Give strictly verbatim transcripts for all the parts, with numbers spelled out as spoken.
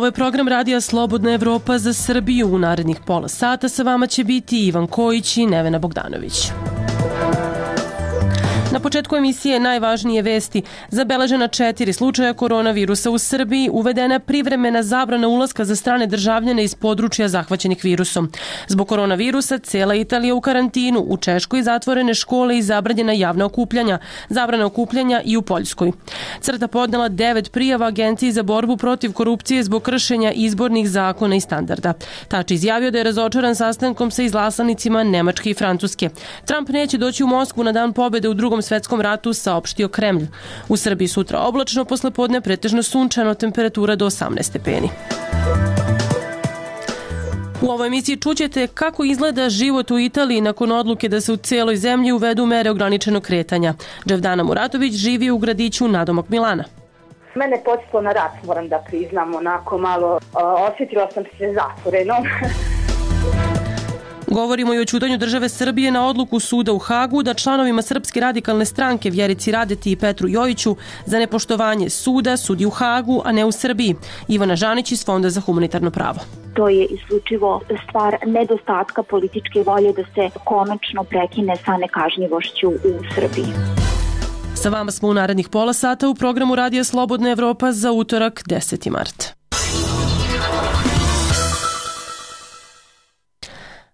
Ovo je program radija Slobodna Evropa za Srbiju. U narednih pola sata sa vama će biti Ivan Kojić i Nevena Bogdanović. Na početku emisije najvažnije vesti. Zabeležena četiri slučaja koronavirusa u Srbiji, uvedena privremena zabrana ulaska za strane državljane iz područja zahvaćenih virusom. Zbog koronavirusa cela Italija u karantinu, u Češkoj zatvorene škole i zabranjena javna okupljanja, zabrana okupljanja i u Poljskoj. Crta podnela devet prijava Agenciji za borbu protiv korupcije zbog kršenja izbornih zakona i standarda. Tači izjavio da je razočaran sastankom sa izlasanicima Nemačke i Francuske. Trump neće doći u Moskvu na dan pobede u drugom svetskom ratu, saopštio Kremlj. U Srbiji sutra oblačno, posle podne pretežno sunčano, temperatura do osamnaest stepeni. U ovoj emisiji čućete kako izgleda život u Italiji nakon odluke da se u celoj zemlji uvedu mere ograničenog kretanja. Dževdana Muratović živi u gradiću nadomak Milana. Mene podsjetilo na rat, moram da priznam, onako malo osjetila sam se zatvoreno. Govorimo i o ćutanju države Srbije na odluku suda u Hagu da članovima Srpske radikalne stranke Vjerici Radeti i Petru Jojiću za nepoštovanje suda sudi u Hagu, a ne u Srbiji. Ivana Žanić iz Fonda za humanitarno pravo. To je isključivo stvar nedostatka političke volje da se konačno prekine sa nekažnjivošću u Srbiji. Sa vama smo u narednih pola sata u programu Radija Slobodna Evropa za utorak deseti mart.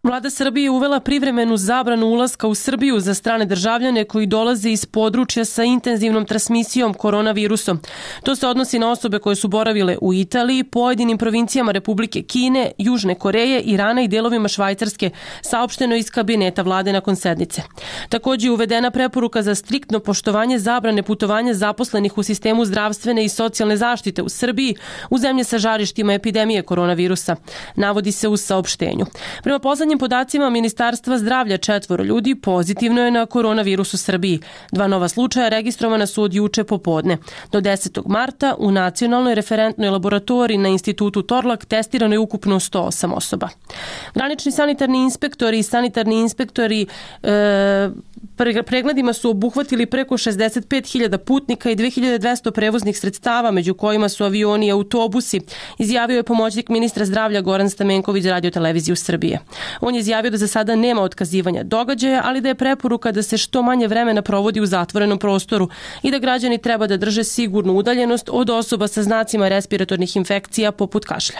Vlada Srbije uvela privremenu zabranu ulaska u Srbiju za strane državljane koji dolaze iz područja sa intenzivnom transmisijom koronavirusom. To se odnosi na osobe koje su boravile u Italiji, pojedinim provincijama Republike Kine, Južne Koreje, Irana i delovima Švajcarske, saopšteno iz kabineta vlade nakon sednice. Također je uvedena preporuka za striktno poštovanje zabrane putovanja zaposlenih u sistemu zdravstvene i socijalne zaštite u Srbiji u zemlje sa žarištima epidemije koronavirusa, navodi se u saopštenju. Prema poslednjim podacima Ministarstva zdravlja, četvoro ljudi pozitivno je na koronavirus u Srbiji. Dva nova slučaja registrovana su od juče popodne. Do desetog marta u nacionalnoj referentnoj laboratoriji na institutu Torlak testirano je ukupno sto osam osoba. Granični sanitarni inspektori i sanitarni inspektori e, pregledima su obuhvatili preko šezdeset pet hiljada putnika i dve hiljade dvesta prevoznih sredstava, među kojima su avioni i autobusi, izjavio je pomoćnik ministra zdravlja Goran Stamenković za Radio-televiziju Srbije. On je izjavio da za sada nema otkazivanja događaja, ali da je preporuka da se što manje vremena provodi u zatvorenom prostoru i da građani treba da drže sigurnu udaljenost od osoba sa znacima respiratornih infekcija poput kašlja.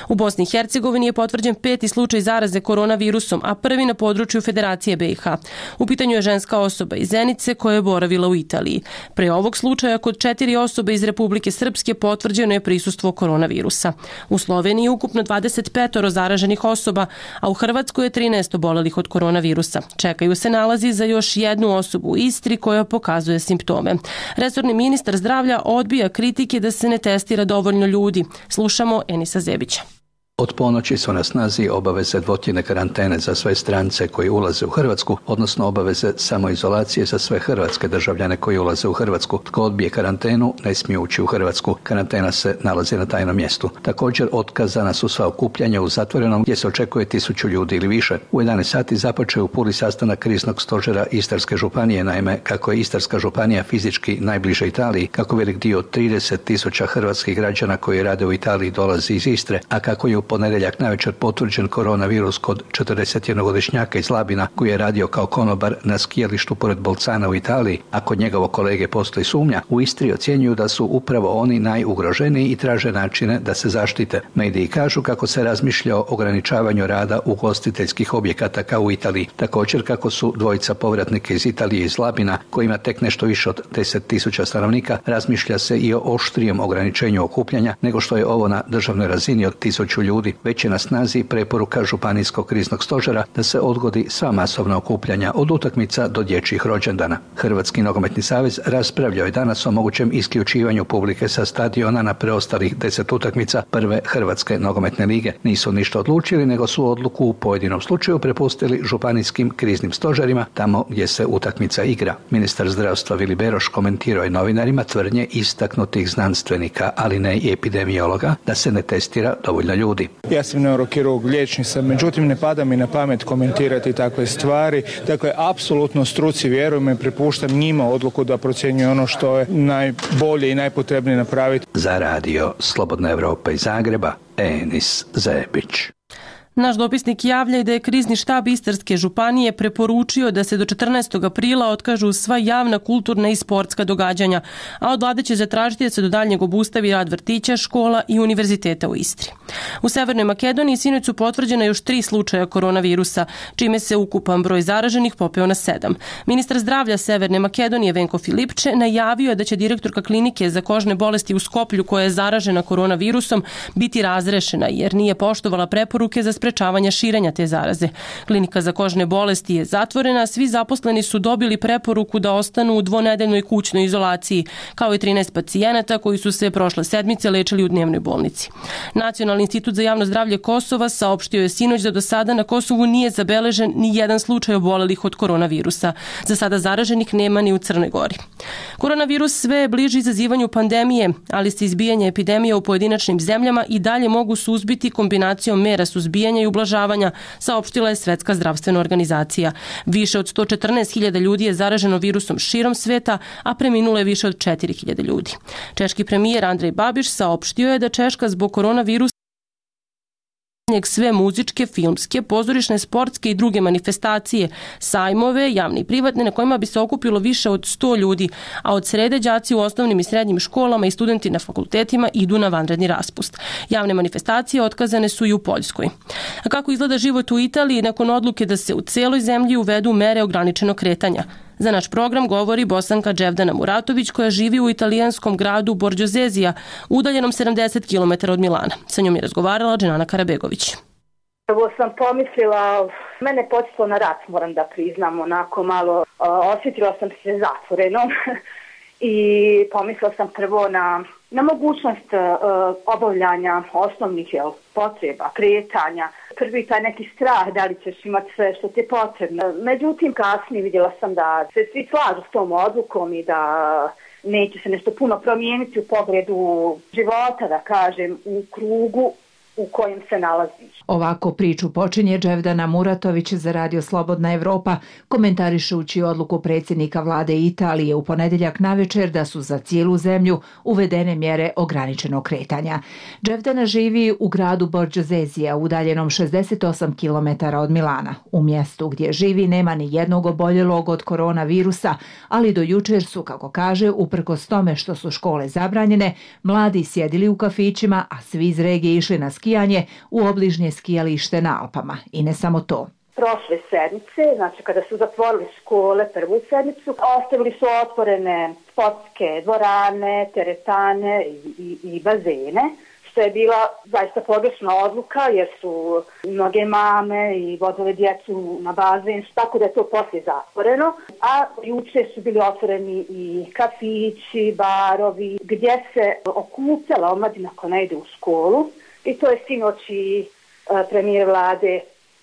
U Bosni i Hercegovini je potvrđen peti slučaj zaraze koronavirusom, a prvi na području Federacije B i H. U pitanju je ženska osoba iz Zenice koja je boravila u Italiji. Pre ovog slučaja kod četiri osobe iz Republike Srpske potvrđeno je prisustvo koronavirusa. U Sloveniji je ukupno dvadeset pet zaraženih osoba, a u Hrvatskoj je trinaest obolelih od koronavirusa. Čekaju se nalazi za još jednu osobu u Istri koja pokazuje simptome. Resorni ministar zdravlja odbija kritike da se ne testira dovoljno ljudi. Slušamo Enisa Zebića. Od ponoći su na snazi obaveze dvotjedne karantene za sve strance koji ulaze u Hrvatsku, odnosno obaveze samoizolacije za sve hrvatske državljane koji ulaze u Hrvatsku. Tko odbije karantenu, ne smije ući u Hrvatsku. Karantena se nalazi na tajnom mjestu. Također otkazana su sva okupljanja u zatvorenom gdje se očekuje tisuću ljudi ili više. U jedanaest sati započeo u Puli sastanak kriznog stožera Istarske županije, naime kako je Istarska županija fizički najbliže Italiji, kako velik dio od trideset tisuća hrvatskih građana koji rade u Italiji dolazi iz Istre, a kako je u ponedjeljak navečer potvrđen koronavirus kod četrdesetjednogodišnjaka iz Labina koji je radio kao konobar na skijalištu pored Bolcana u Italiji, a kod njegovog kolege postoji sumnja, u Istri ocjenjuju da su upravo oni najugroženiji i traže načine da se zaštite. Mediji kažu kako se razmišlja o ograničavanju rada ugostiteljskih objekata kao u Italiji. Također kako su dvojica povratnika iz Italije iz Labina, koji ima tek nešto više od deset tisuća stanovnika, razmišlja se i o oštrijem ograničenju okupljanja nego što je ovo na državnoj razini od tisuću ljudi. Već je na snazi preporuka Županijskog kriznog stožera da se odgodi sva masovna okupljanja od utakmica do dječjih rođendana. Hrvatski nogometni savez raspravljao je danas o mogućem isključivanju publike sa stadiona na preostalih deset utakmica prve Hrvatske nogometne lige. Nisu ništa odlučili, nego su odluku u pojedinom slučaju prepustili županijskim kriznim stožerima tamo gdje se utakmica igra. Ministar zdravstva Vili Beroš komentirao je novinarima tvrdnje istaknutih znanstvenika, ali ne i epidemiologa, da se ne testira dovoljno ljudi. Ja sam neurokirurg, liječnik sam, međutim ne pada mi na pamet komentirati takve stvari. Dakle, apsolutno struci vjerujem i prepuštam njima odluku da procjenjuju ono što je najbolje i najpotrebnije napraviti. Za radio Slobodna Evropa iz Zagreba, Enis Zebić. Naš dopisnik javlja i da je krizni štab Istarske županije preporučio da se do četrnaestog aprila otkažu sva javna, kulturna i sportska događanja, a od vlade će zatražiti da se do daljnjeg obustavi rad vrtića, škola i univerziteta u Istri. U Severnoj Makedoniji sinoć su potvrđena još tri slučaja koronavirusa, čime se ukupan broj zaraženih popeo na sedam. Ministar zdravlja Severne Makedonije Venko Filipče najavio je da će direktorka klinike za kožne bolesti u Skoplju, koja je zaražena koronavirusom, biti razrešena jer nije poštovala preporuke za sprečavanja širenja te zaraze. Klinika za kožne bolesti je zatvorena, svi zaposleni su dobili preporuku da ostanu u dvonedeljnoj kućnoj izolaciji, kao i trinaest pacijenata koji su se prošle sedmice lečili u dnevnoj bolnici. Nacionalni institut za javno zdravlje Kosova saopštio je sinoć da do sada na Kosovu nije zabeležen ni jedan slučaj obolelih od koronavirusa. Za sada zaraženih nema ni u Crnoj Gori. Koronavirus sve je bliži izazivanju pandemije, ali se izbijanje epidemije u pojedinačnim zemljama i dalje mogu suzbiti kombinacijom mera suzbijanja i ublažavanja, saopštila je Svetska zdravstvena organizacija. Više od sto četrnaest hiljada ljudi je zaraženo virusom širom sveta, a preminulo je više od četiri hiljade ljudi. Češki premijer Andrej Babiš saopštio je da Češka zbog koronavirusa sve muzičke, filmske, pozorišne, sportske i druge manifestacije, sajmove, javne i privatne, na kojima bi se okupilo više od sto ljudi, a od srede đaci u osnovnim i srednjim školama i studenti na fakultetima idu na vanredni raspust. Javne manifestacije otkazane su i u Poljskoj. A kako izgleda život u Italiji nakon odluke da se u celoj zemlji uvedu mere ograničenog kretanja? Za naš program govori Bosanka Dževdana Muratović, koja živi u italijanskom gradu Borđozezija, udaljenom sedamdeset kilometara od Milana. Sa njom je razgovarala Dženana Karabegović. Prvo sam pomislila, mene počelo na rat, moram da priznam, onako malo osjetila sam se zatvorenom i pomislila sam prvo na, na mogućnost uh, obavljanja osnovnih jel, potreba, kretanja. Prvi taj neki strah da li ćeš imati sve što ti je potrebno. Međutim, kasnije vidjela sam da se svi slažu s tom odlukom i da neće se nešto puno promijeniti u pogledu života, da kažem, u krugu u kojem se nalaziš. Ovako priču počinje Dževdana Muratović za radio Slobodna Evropa, komentarišući odluku predsjednika vlade Italije u ponedjeljak navečer da su za cijelu zemlju uvedene mjere ograničenog kretanja. Dževdana živi u gradu Borđozezija, udaljenom šezdeset osam kilometara od Milana. U mjestu gdje živi nema ni jednog oboljelog od koronavirusa, ali do jučer su, kako kaže, uprkos tome što su škole zabranjene, mladi sjedili u kafićima, a svi iz regije išli na skijanje u obližnje skijalište na Alpama. I ne samo to. Prošle sedmice, znači kada su zatvorili škole prvu sedmicu, ostavili su otvorene sportske dvorane, teretane i, i, i bazene, što je bila zaista pogrešna odluka jer su mnoge mame i vodile djecu na bazen, tako da je to poslije zatvoreno. A juče su bili otvoreni i kafići, barovi, gdje se okupljala omladina koja ne ide u školu. I to je sinoć i premijer vlade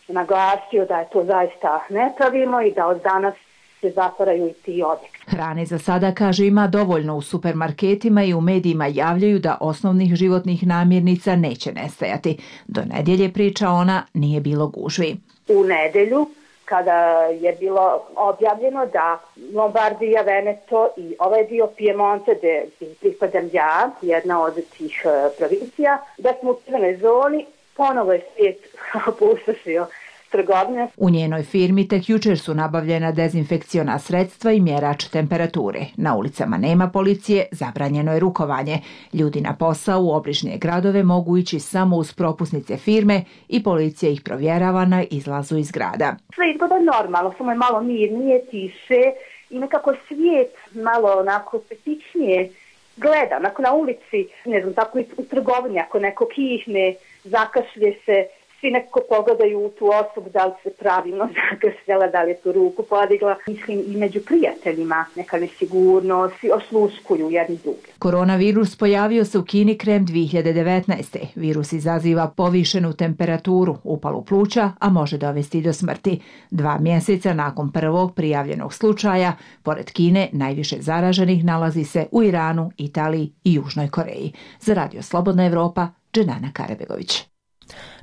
naglasio da je to zaista nepravilno i da od danas se zatvaraju i ti objekti. Hrane za sada, kaže, ima dovoljno u supermarketima i u medijima javljaju da osnovnih životnih namirnica neće nestajati. Do nedjelje, priča ona, nije bilo gužvi. U nedjelju, kada je bilo objavljeno da Lombardija, Veneto i ovaj dio Piemonte, gdje pripadam ja, jedna od tih provincija, da smo u crvenoj zoni, ponovo je svijet opustošio trgovine. U njenoj firmi tek jučer su nabavljena dezinfekciona sredstva i mjerač temperature. Na ulicama nema policije, zabranjeno je rukovanje. Ljudi na posao u obližnje gradove mogu ići samo uz propusnice firme i policija ih provjerava na izlazu iz grada. Sve izgleda normalno, samo je malo mirnije, tiše i nekako svijet malo onako petičnije gleda. Onako na ulici, ne znam, tako i u trgovini, ako neko kihne, zakašlje se, svi nekako pogledaju u tu osobu da li se pravilno zakašljala, da li je tu ruku podigla. Mislim i među prijateljima neka nesigurnost, svi osluškuju jedni druge. Koronavirus pojavio se u Kini krajem dvije hiljade devetnaeste. Virus izaziva povišenu temperaturu, upalu pluća, a može dovesti do smrti. Dva mjeseca nakon prvog prijavljenog slučaja, pored Kine, najviše zaraženih nalazi se u Iranu, Italiji i Južnoj Koreji. Za radio Slobodna Evropa, Dženana Karabegović.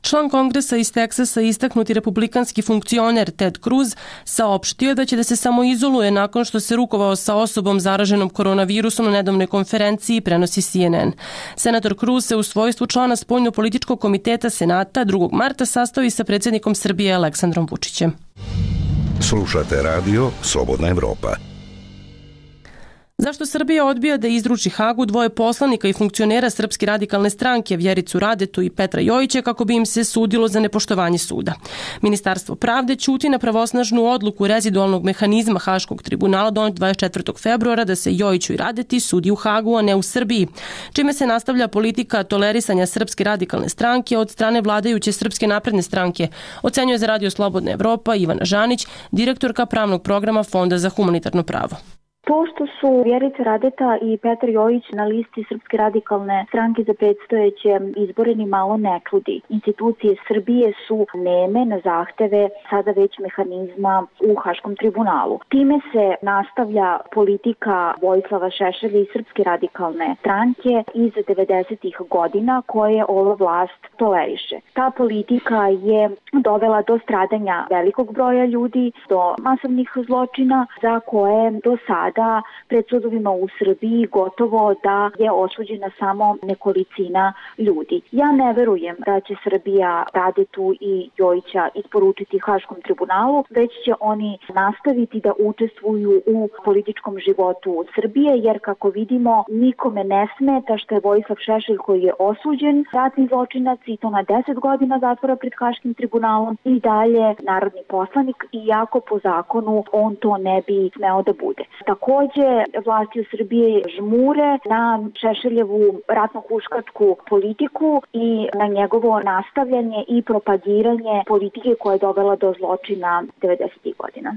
Član kongresa iz Teksasa, istaknuti republikanski funkcioner Ted Cruz, saopštio je da će da se samoizoluje nakon što se rukovao sa osobom zaraženom koronavirusom na nedavnoj konferenciji, prenosi C N N. Senator Cruz se u svojstvu člana spoljno-političkog komiteta Senata drugog marta sastao i sa predsjednikom Srbije Aleksandrom Vučićem. Slušate radio Slobodna Evropa. Zašto Srbija odbija da izruči Hagu dvoje poslanika i funkcionera Srpske radikalne stranke, Vjericu Radetu i Petra Jojića, kako bi im se sudilo za nepoštovanje suda? Ministarstvo pravde ćuti na pravosnažnu odluku rezidualnog mehanizma Haškog tribunala donet dvadeset četvrtog februara da se Jojiću i Radeti sudi u Hagu, a ne u Srbiji, čime se nastavlja politika tolerisanja Srpske radikalne stranke od strane vladajuće Srpske napredne stranke, ocenjuje za radio Slobodna Evropa Ivana Žanić, direktorka pravnog programa Fonda za humanitarno pravo. To što su Vjerica Radeta i Petar Jojić na listi Srpske radikalne stranke za predstojeće izbore ni malo ne čudi. Institucije Srbije su neme na zahteve sada već mehanizma u Haškom tribunalu. Time se nastavlja politika Vojislava Šešelja i Srpske radikalne stranke iz devedesetih godina koje ova vlast toleriše. Ta politika je dovela do stradanja velikog broja ljudi, do masovnih zločina za koje do sada da pred sudovima u Srbiji gotovo da je osuđena samo nekolicina ljudi. Ja ne verujem da će Srbija Radetu i Jojića isporučiti Haškom tribunalu, već će oni nastaviti da učestvuju u političkom životu Srbije, jer kako vidimo nikome ne smeta što je Vojislav Šešelj, koji je osuđen ratni zločinac i to na deset godina zatvora pred Haškim tribunalom, i dalje narodni poslanik, iako po zakonu on to ne bi smeo da bude. Takođe, vlasti u Srbiji žmure na Šešeljevu ratno-huškačku politiku i na njegovo nastavljanje i propagiranje politike koja je dovela do zločina devedesetih godina.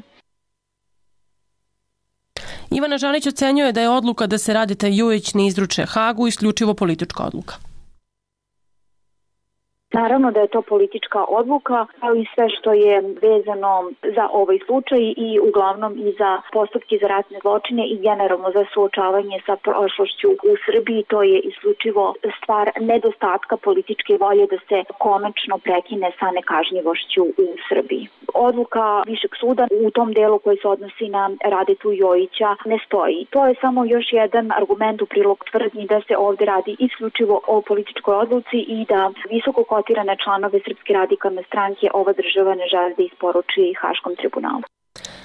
Ivana Žanić ocenjuje da je odluka da se Radeta i Jojić ne izruče Hagu isključivo politička odluka. Naravno da je to politička odluka, kao i sve što je vezano za ovaj slučaj i uglavnom i za postupke za ratne zločine i generalno za suočavanje sa prošlošću u Srbiji. To je isključivo stvar nedostatka političke volje da se konačno prekine sa nekažnjivošću u Srbiji. Odluka Višeg suda u tom delu koji se odnosi na Radetu Jojića ne stoji. To je samo još jedan argument u prilog tvrdnji da se ovde radi isključivo o političkoj odluci i da visoko kotirane članove Srpske radikalne stranke ova država ne želi da isporuči Haškom tribunalu.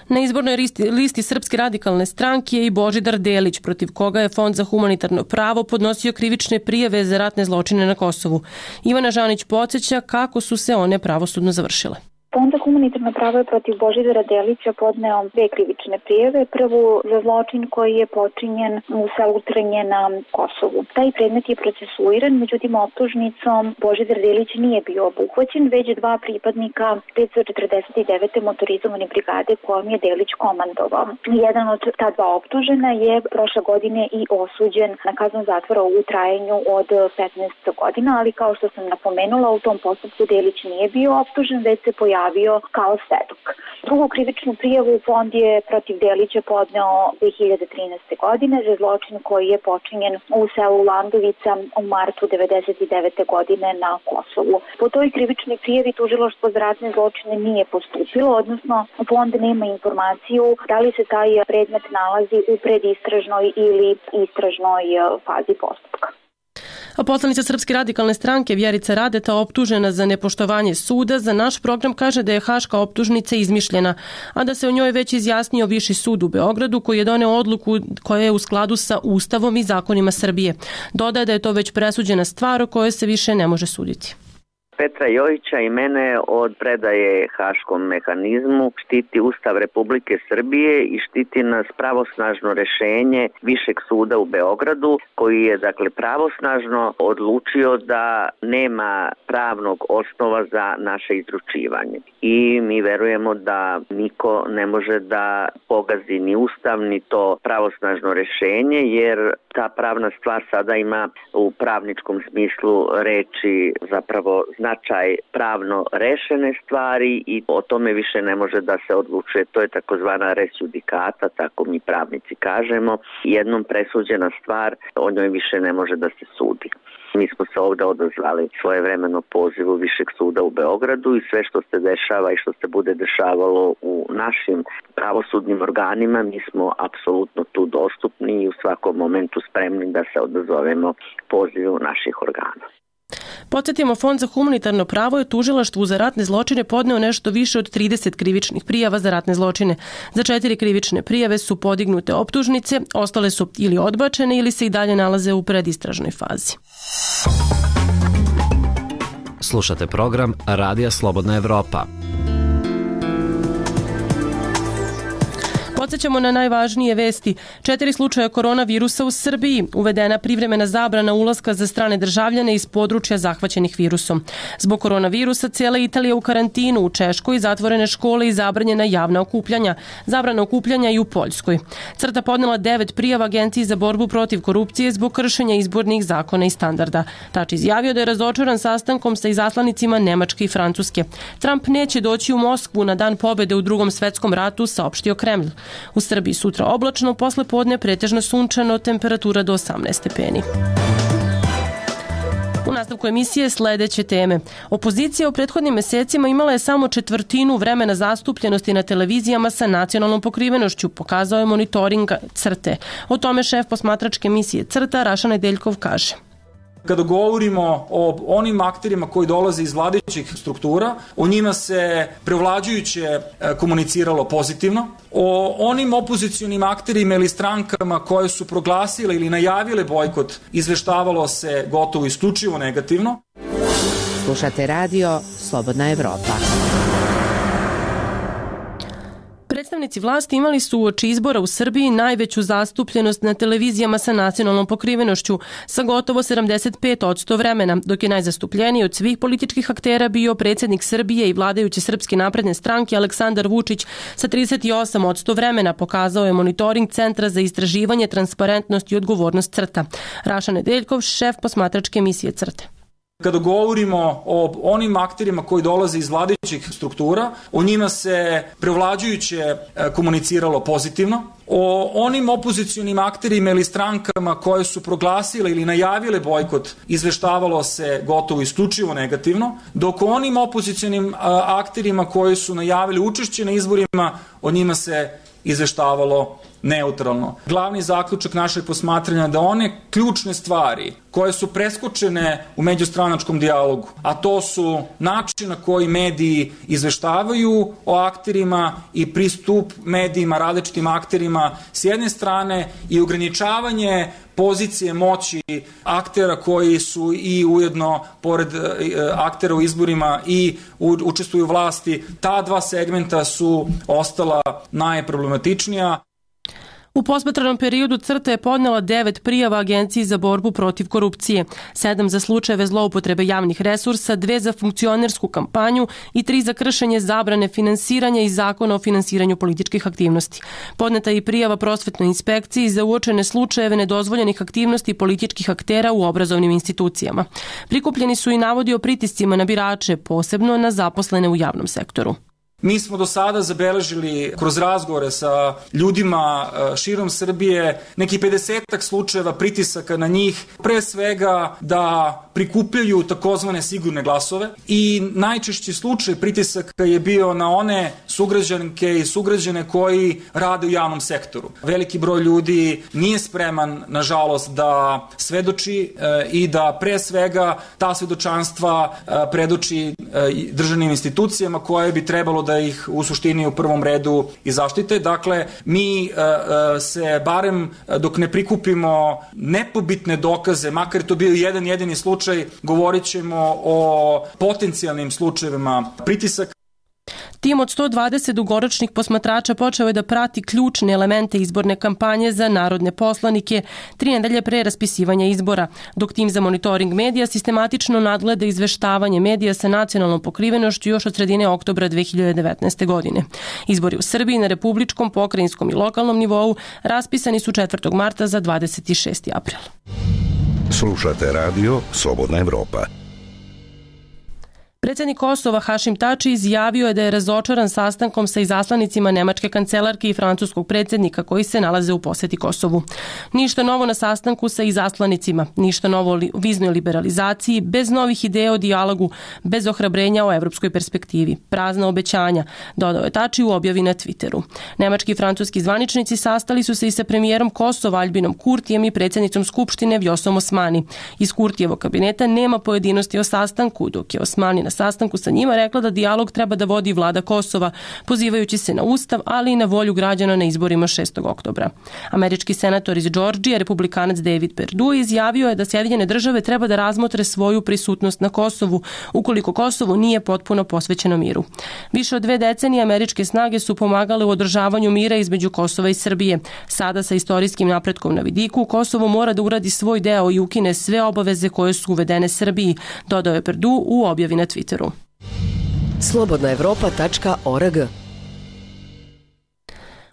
Na izbornoj listi, listi Srpske radikalne stranke je i Božidar Delić, protiv koga je Fond za humanitarno pravo podnosio krivične prijave za ratne zločine na Kosovu. Ivana Žanić podsjeća kako su se one pravosudno završile. Fond za humanitarno pravo je protiv Božidara Delića podneo dve krivične prijave. Prvu za zločin koji je počinjen u selu Trnje na Kosovu. Taj predmet je procesuiran, međutim optužnicom Božidar Delić nije bio obuhvaćen, već dva pripadnika petsto četrdeset devete motorizovane brigade kojom je Delić komandovao. Jedan od ta dva optužena je prošle godine i osuđen na kaznu zatvora u trajanju od petnaest godina, ali kao što sam napomenula, u tom postupku Delić nije bio optužen, već se pojavio javio kao svedok. Drugu krivičnu prijavu Fond je protiv Delića podneo dve hiljade trinaeste. godine za zločin koji je počinjen u selu Landovica u martu devedeset devete. godine na Kosovu. Po toj krivičnoj prijavi tužilaštvo za ratne zločine nije postupilo, odnosno Fond nema informaciju da li se taj predmet nalazi u predistražnoj ili istražnoj fazi postupka. A poslanica Srpske radikalne stranke Vjerica Radeta, optužena za nepoštovanje suda, za naš program kaže da je haška optužnica izmišljena, a da se o njoj već izjasnio Viši sud u Beogradu koji je doneo odluku koja je u skladu sa Ustavom i zakonima Srbije. Dodaje da je to već presuđena stvar o kojoj se više ne može suditi. Petra Jojića i mene od predaje Haškom mehanizmu štiti Ustav Republike Srbije i štiti nas pravosnažno rešenje Višeg suda u Beogradu, koji je dakle pravosnažno odlučio da nema pravnog osnova za naše izručivanje. I mi verujemo da niko ne može da pogazi ni Ustav ni to pravosnažno rešenje, jer ta pravna stvar sada ima u pravničkom smislu reči zapravo značaj pravno rešene stvari i o tome više ne može da se odlučuje. To je takozvana res judicata, tako mi pravnici kažemo. Jednom presuđena stvar, o njoj više ne može da se sudi. Mi smo se ovde odazvali svojevremeno pozivu Višeg suda u Beogradu i sve što se dešava i što se bude dešavalo u našim pravosudnim organima, mi smo apsolutno tu dostupni i u svakom momentu spremni da se odazovemo pozivu naših organa. Podsjetimo, Fond za humanitarno pravo je tužilaštvu za ratne zločine podneo nešto više od trideset krivičnih prijava za ratne zločine. Za četiri krivične prijave su podignute optužnice, ostale su ili odbačene ili se i dalje nalaze u predistražnoj fazi. Slušate program Radija Slobodna Evropa. Podsjećamo na najvažnije vesti. Četiri slučaja koronavirusa u Srbiji. Uvedena privremena zabrana ulaska za strane državljane iz područja zahvaćenih virusom. Zbog koronavirusa cijela Italija u karantinu, u Češkoj zatvorene škole i zabranjena javna okupljanja. Zabrana okupljanja i u Poljskoj. Crta podnela devet prijava Agenciji za borbu protiv korupcije zbog kršenja izbornih zakona i standarda. Tač izjavio da je razočaran sastankom sa izaslanicima Nemačke i Francuske. Trump neće doći u Moskvu na dan pobede u Drugom svetskom ratu, saopštio Kremlj. U Srbiji sutra oblačno, posle podne pretežno sunčano, temperatura do osamnaest stepeni. U nastavku emisije sledeće teme. Opozicija u prethodnim mesecima imala je samo četvrtinu vremena zastupljenosti na televizijama sa nacionalnom pokrivenošću, pokazao je monitoring Crte. O tome šef posmatračke emisije Crta Raša Nedeljkov kaže. Kada govorimo o onim akterima koji dolaze iz vladajućih struktura, o njima se prevlađujuće komuniciralo pozitivno. O onim opozicionim akterima ili strankama koje su proglasile ili najavile bojkot izveštavalo se gotovo isključivo negativno. Slušate radio Slobodna Evropa. Predstavnici vlasti imali su uoči izbora u Srbiji najveću zastupljenost na televizijama sa nacionalnom pokrivenošću sa gotovo sedamdeset pet posto vremena, dok je najzastupljeniji od svih političkih aktera bio predsjednik Srbije i vladajuće Srpske napredne stranke Aleksandar Vučić sa trideset osam posto vremena, pokazao je monitoring Centra za istraživanje, transparentnost i odgovornost Crta. Raša Nedeljkov, šef posmatračke emisije Crte. Kada govorimo o onim akterima koji dolaze iz vladajućih struktura, o njima se prevlađujuće komuniciralo pozitivno. O onim opozicionim akterima ili strankama koje su proglasile ili najavile bojkot izveštavalo se gotovo isključivo negativno, dok o onim opozicionim akterima koji su najavili učešće na izborima, o njima se izveštavalo neutralno. Glavni zaključak našeg posmatranja da one ključne stvari koje su preskočene u međustranačkom dijalogu, a to su način na koji mediji izveštavaju o akterima i pristup medijima, različitim akterima s jedne strane i ograničavanje pozicije moći aktera koji su i ujedno pored aktera u izborima i učestvuju u vlasti, ta dva segmenta su ostala najproblematičnija. U posmatranom periodu Crta je podnela devet prijava Agenciji za borbu protiv korupcije, sedam za slučajeve zloupotrebe javnih resursa, dve za funkcionersku kampanju i tri za kršenje zabrane finansiranja i zakona o finansiranju političkih aktivnosti. Podneta je i prijava prosvetnoj inspekciji za uočene slučajeve nedozvoljenih aktivnosti političkih aktera u obrazovnim institucijama. Prikupljeni su i navodi o pritiscima na birače, posebno na zaposlene u javnom sektoru. Mi smo do sada zabeležili kroz razgovore sa ljudima širom Srbije neki pedesetak slučajeva pritisaka na njih, pre svega da prikupljaju takozvane sigurne glasove i najčešći slučaj pritisaka je bio na one sugrađanke i sugrađane koji rade u javnom sektoru. Veliki broj ljudi nije spreman, nažalost, da svedoči i da pre svega ta svedočanstva predoči državnim institucijama koje bi trebalo da ih u suštini u prvom redu i zaštite. Dakle, mi se barem dok ne prikupimo nepobitne dokaze, makar je to bio jedan jedini slučaj, govorit ćemo o potencijalnim slučajevima pritisaka. Tim od sto dvadeset dugoročnih posmatrača počeo je da prati ključne elemente izborne kampanje za narodne poslanike tri nedelje pre raspisivanja izbora, dok tim za monitoring medija sistematično nadgleda izveštavanje medija sa nacionalnom pokrivenošću još od sredine oktobra dve hiljade devetnaeste. godine. Izbori u Srbiji na republičkom, pokrajinskom i lokalnom nivou raspisani su četvrtog marta za dvadeset šesti april. Slušate radio Slobodna Evropa. Predsjednik Kosova Hašim Tači izjavio je da je razočaran sastankom sa izaslanicima nemačke kancelarke i francuskog predsjednika koji se nalaze u posjeti Kosovu. Ništa novo na sastanku sa izaslanicima, ništa novo o viznoj liberalizaciji, bez novih ideja o dijalogu, bez ohrabrenja o evropskoj perspektivi, prazna obećanja, dodao je Tači u objavi na Twitteru. Nemački i francuski zvaničnici sastali su se i sa premijerom Kosova Albijom Kurtijem i predsjednicom Skupštine Vjosom Osmani. Iz Kurtijevog kabineta nema pojedinosti o sastanku, dok je Osmani na sastanku sa njima rekla da dijalog treba da vodi vlada Kosova, pozivajući se na ustav, ali i na volju građana na izborima šestog oktobra. Američki senator iz Džordžije, republikanac David Perdue, izjavio je da Sjedinjene države treba da razmotre svoju prisutnost na Kosovu, ukoliko Kosovo nije potpuno posvećeno miru. Više od dve decenije američke snage su pomagale u održavanju mira između Kosova i Srbije. Sada sa istorijskim napretkom na vidiku, Kosovo mora da uradi svoj deo i ukine sve obaveze koje su uvedene Srbiji, dodao je Perdue u objavi na Twitteru. slobodna evropa tačka org.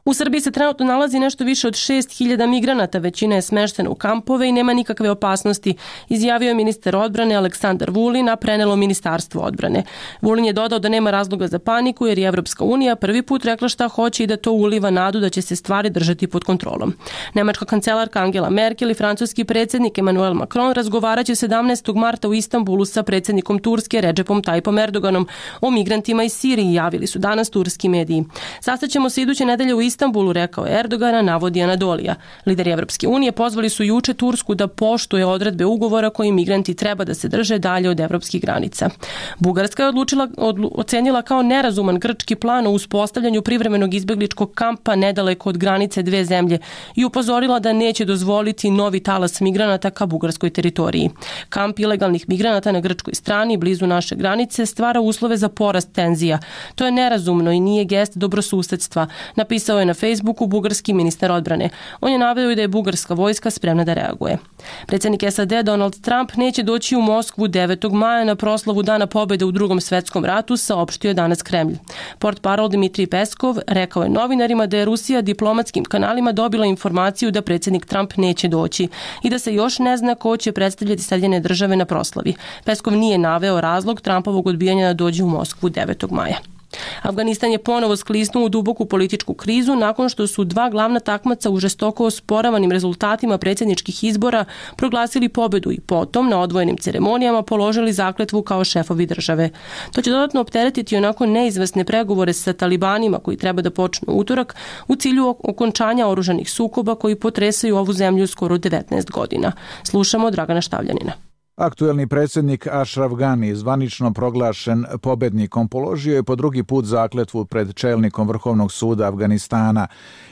U Srbiji se trenutno nalazi nešto više od šest hiljada migranata, većina je smeštena u kampove i nema nikakve opasnosti, izjavio je ministar odbrane Aleksandar Vulin, a prenelo Ministarstvo odbrane. Vulin je dodao da nema razloga za paniku jer je Evropska unija prvi put rekla šta hoće i da to uliva nadu da će se stvari držati pod kontrolom. Nemačka kancelarka Angela Merkel i francuski predsjednik Emmanuel Macron razgovaraće sedamnaestog marta u Istanbulu sa predsjednikom Turske Recepom Tayyipom Erdoganom o migrantima iz Siriji, javili su danas turski mediji. Sastaćemo se iduće nedelje u Istanbulu, rekao je Erdogana, navodi Anadolija. Lideri Evropske unije pozvali su juče Tursku da poštuje odredbe ugovora koji migranti treba da se drže dalje od evropskih granica. Bugarska je odlučila, odlu, ocenila kao nerazuman grčki plan o uspostavljanju privremenog izbegličkog kampa nedaleko od granice dve zemlje i upozorila da neće dozvoliti novi talas migranata ka bugarskoj teritoriji. Kamp ilegalnih migranata na grčkoj strani, blizu naše granice, stvara uslove za porast tenzija. To je nerazumno i nije gest dobrosusedstva, napisao je na Facebooku bugarski ministar odbrane. On je naveo i da je bugarska vojska spremna da reaguje. Predsjednik S A D Donald Trump neće doći u Moskvu devetog maja na proslavu Dana pobjede u Drugom svjetskom ratu, saopštio je danas Kremlj. Portparol Dmitrij Peskov rekao je novinarima da je Rusija diplomatskim kanalima dobila informaciju da predsjednik Trump neće doći i da se još ne zna ko će predstavljati Sjedinjene države na proslavi. Peskov nije naveo razlog Trumpovog odbijanja da dođe u Moskvu devetog maja. Afganistan je ponovo sklisnuo u duboku političku krizu nakon što su dva glavna takmaca u žestoko osporavanim rezultatima predsjedničkih izbora proglasili pobjedu i potom na odvojenim ceremonijama položili zakletvu kao šefovi države. To će dodatno opteretiti onako neizvesne pregovore sa talibanima koji treba da počnu utorak u cilju okončanja oružanih sukoba koji potresaju ovu zemlju skoro devetnaest godina. Slušamo Dragana Štavljanina. Aktuelni predsjednik Ashraf Ghani, zvanično proglašen pobjednikom, položio je po drugi put zakletvu pred čelnikom Vrhovnog suda Afganistana.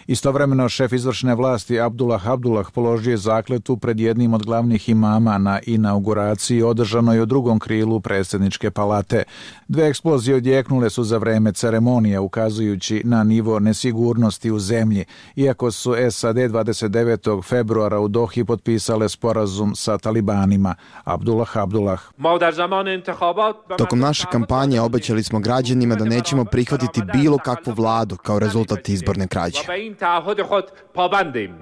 Istovremeno šef izvršne vlasti Abdullah Abdullah položio je zakletvu pred jednim od glavnih imama na inauguraciji održanoj u drugom krilu predsjedničke palate. Dve eksplozije odjeknule su za vreme ceremonije, ukazujući na nivo nesigurnosti u zemlji, iako su S A D dvadeset devetog februara u Dohi potpisale sporazum sa talibanima. Abdullah Abdullah. Tokom naše kampanje obećali smo građanima da nećemo prihvatiti bilo kakvu vladu kao rezultat izborne krađe.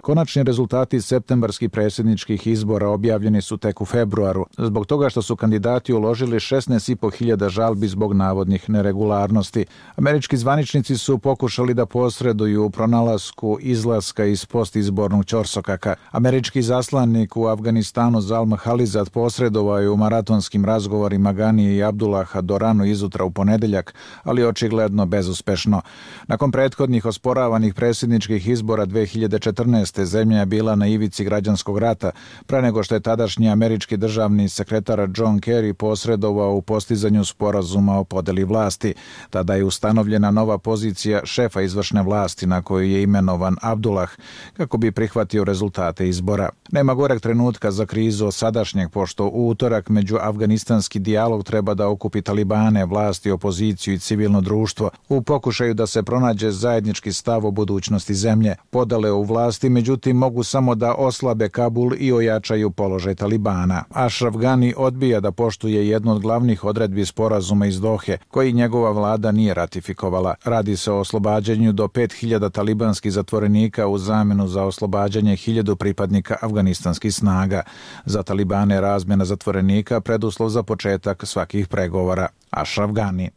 Konačni rezultati septembarskih predsjedničkih izbora objavljeni su tek u februaru, zbog toga što su kandidati uložili šesnaest i po hiljada žalbi zbog navodnih neregularnosti. Američki zvaničnici su pokušali da posreduju u pronalasku izlaska iz postizbornog ćorsokaka. Američki zaslanik u Afganistanu Zalma Halizad posredovao je u maratonskim razgovorima Ganije i Abdullaha do rano izutra u ponedeljak, ali očigledno bezuspešno. Nakon prethodnih osporavanih predsjedničkih izbora dve hiljade četrnaeste. zemlja je bila na ivici građanskog rata, pre nego što je tadašnji američki državni sekretar John Kerry posredovao u postizanju sporazuma o podeli vlasti. Tada je ustanovljena nova pozicija šefa izvršne vlasti na koju je imenovan Abdullah, kako bi prihvatio rezultate izbora. Nema goreg trenutka za krizu sadašnjeg, pošto u utorak među afganistanski dijalog treba da okupi talibane, vlasti, opoziciju i civilno društvo u pokušaju da se pronađe zajednički stav o budućnosti zemlje. Podale u vlasti, međutim, mogu samo da oslabe Kabul i ojačaju položaj talibana. Ashraf Ghani odbija da poštuje jednu od glavnih odredbi sporazuma iz Dohe, koji njegova vlada nije ratifikovala. Radi se o oslobađanju do pet hiljada talibanskih zatvorenika u zamenu za oslobađanje hiljadu pripadnika afganistanskih snaga. Za talibane razmjena zatvorenika preduslov za početak svakih pregovora. Ashraf Ghani.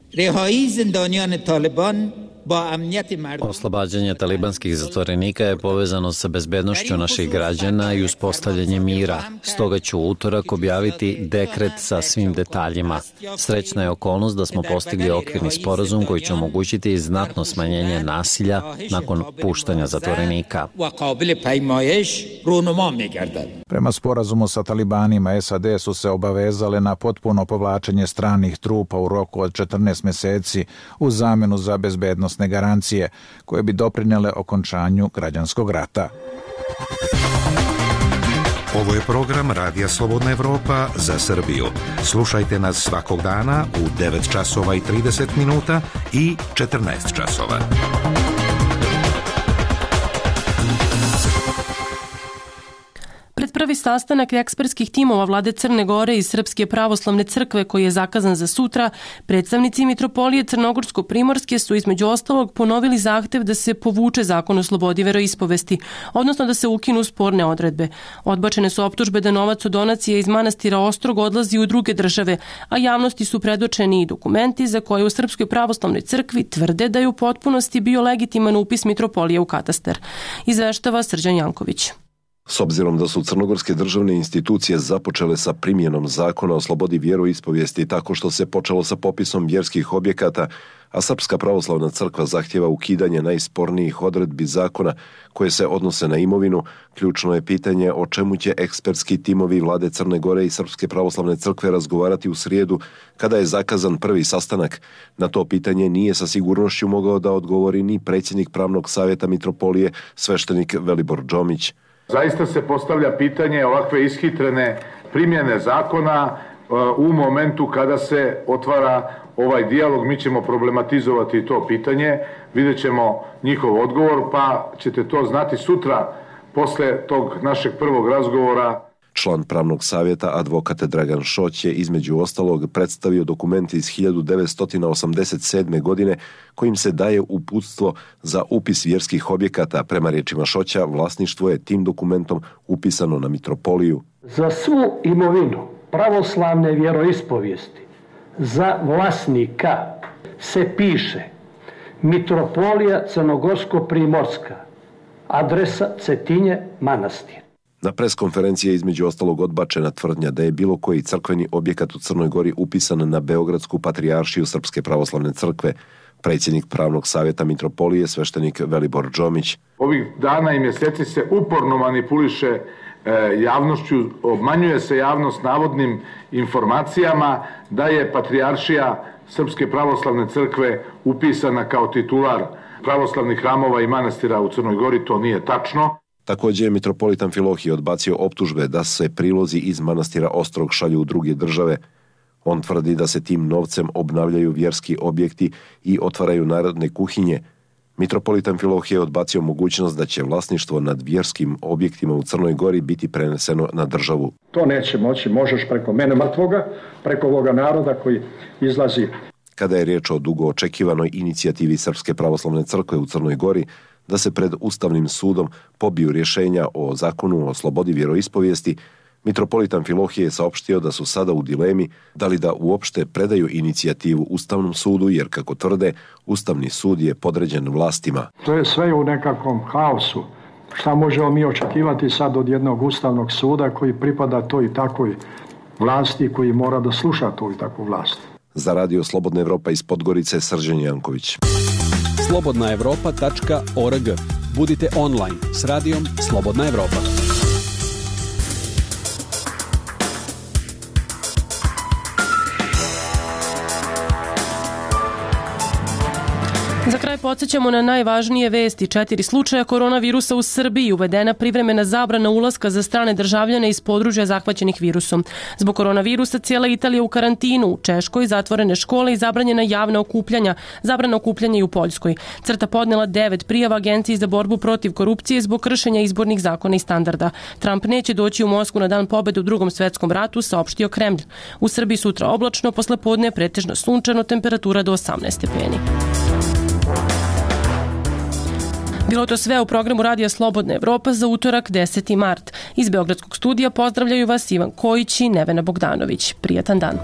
Oslobađanje talibanskih zatvorenika je povezano sa bezbednošću naših građana i uspostavljanjem mira. Stoga ću u utorak objaviti dekret sa svim detaljima. Srećna je okolnost da smo postigli okvirni sporazum koji će omogućiti znatno smanjenje nasilja nakon puštanja zatvorenika. Prema sporazumu sa talibanima, S A D su se obavezale na potpuno povlačenje stranih trupa u roku od četrnaest meseci u zamenu za bezbednosne garancije koje bi doprinele okončanju građanskog rata. Ovo je program Radija Slobodna Evropa za Srbiju. Slušajte nas svakog dana u devet časova i trideset minuta i četrnaest časova. Pred prvi sastanak ekspertskih timova vlade Crne Gore i Srpske pravoslavne crkve koji je zakazan za sutra, predstavnici Mitropolije Crnogorsko-Primorske su između ostalog ponovili zahtev da se povuče zakon o slobodi veroispovesti, odnosno da se ukinu sporne odredbe. Odbačene su optužbe da novac od donacije iz manastira Ostrog odlazi u druge države, a javnosti su predočeni i dokumenti za koje u Srpskoj pravoslavnoj crkvi tvrde da je u potpunosti bio legitiman upis Mitropolije u katastar. Izveštava Srđan Janković. S obzirom da su crnogorske državne institucije započele sa primjenom zakona o slobodi vjeroispovijesti tako što se počelo sa popisom vjerskih objekata, a Srpska pravoslavna crkva zahtjeva ukidanje najspornijih odredbi zakona koje se odnose na imovinu, ključno je pitanje o čemu će ekspertski timovi vlade Crne Gore i Srpske pravoslavne crkve razgovarati u srijedu kada je zakazan prvi sastanak. Na to pitanje nije sa sigurnošću mogao da odgovori ni predsjednik Pravnog savjeta Mitropolije, sveštenik Velibor Džomić. Zaista se postavlja pitanje ovakve ishitrene primjene zakona u momentu kada se otvara ovaj dijalog. Mi ćemo problematizovati to pitanje, vidjet ćemo njihov odgovor, pa ćete to znati sutra posle tog našeg prvog razgovora. Član Pravnog savjeta, advokat Dragan Šoć, je između ostalog predstavio dokument iz hiljadu devetsto osamdeset sedme. godine kojim se daje uputstvo za upis vjerskih objekata. Prema riječima Šoća, vlasništvo je tim dokumentom upisano na Mitropoliju. Za svu imovinu pravoslavne vjeroispovijesti za vlasnika se piše Mitropolija Crnogorsko-Primorska, adresa Cetinje, manastir. Na preskonferenciji je između ostalog odbačena tvrdnja da je bilo koji crkveni objekat u Crnoj Gori upisan na Beogradsku patrijaršiju Srpske pravoslavne crkve. Predsjednik Pravnog savjeta Mitropolije, sveštenik Velibor Džomić. Ovih dana i mjeseci se uporno manipuliše e, javnošću, obmanjuje se javnost navodnim informacijama da je patrijaršija Srpske pravoslavne crkve upisana kao titular pravoslavnih hramova i manastira u Crnoj Gori. To nije tačno. Također je mitropolit Amfilohije odbacio optužbe da se prilozi iz manastira Ostrog šalju u druge države. On tvrdi da se tim novcem obnavljaju vjerski objekti i otvaraju narodne kuhinje. Mitropolit Amfilohije je odbacio mogućnost da će vlasništvo nad vjerskim objektima u Crnoj Gori biti preneseno na državu. To neće moći, možeš preko mene mrtvoga, preko ovoga naroda koji izlazi. Kada je riječ o dugo očekivanoj inicijativi Srpske pravoslavne crkve u Crnoj Gori, da se pred Ustavnim sudom pobiju rješenja o zakonu o slobodi vjeroispovijesti, mitropolit Amfilohije je saopštio da su sada u dilemi da li da uopšte predaju inicijativu Ustavnom sudu, jer kako tvrde, Ustavni sud je podređen vlastima. To je sve u nekakvom haosu. Šta možemo mi očekivati sad od jednog Ustavnog suda koji pripada toj i takvoj vlasti, koji mora da sluša tu i takvu vlast? Za Radio Slobodna Evropa iz Podgorice, Srđan Janković. slobodna evropa tačka org. Budite online s radijom Slobodna Evropa. Za kraj podsjećamo na najvažnije vesti. Četiri slučaja koronavirusa u Srbiji, uvedena privremena zabrana ulaska za strane državljane iz područja zahvaćenih virusom. Zbog koronavirusa cijela Italija u karantinu, u Češkoj zatvorene škole i zabranjena javna okupljanja, zabrana okupljanja i u Poljskoj. Crta podnela devet prijava Agenciji za borbu protiv korupcije zbog kršenja izbornih zakona i standarda. Trump neće doći u Moskvu na dan pobjede u Drugom svjetskom ratu, saopštio Kremlj. U Srbiji sutra oblačno, posle podne pretežno sunčano, temperatura do osamnaest stepeni. Bilo to sve u programu Radija Slobodna Evropa za utorak deseti mart. Iz Beogradskog studija pozdravljaju vas Ivan Kojić i Nevena Bogdanović. Prijatan dan.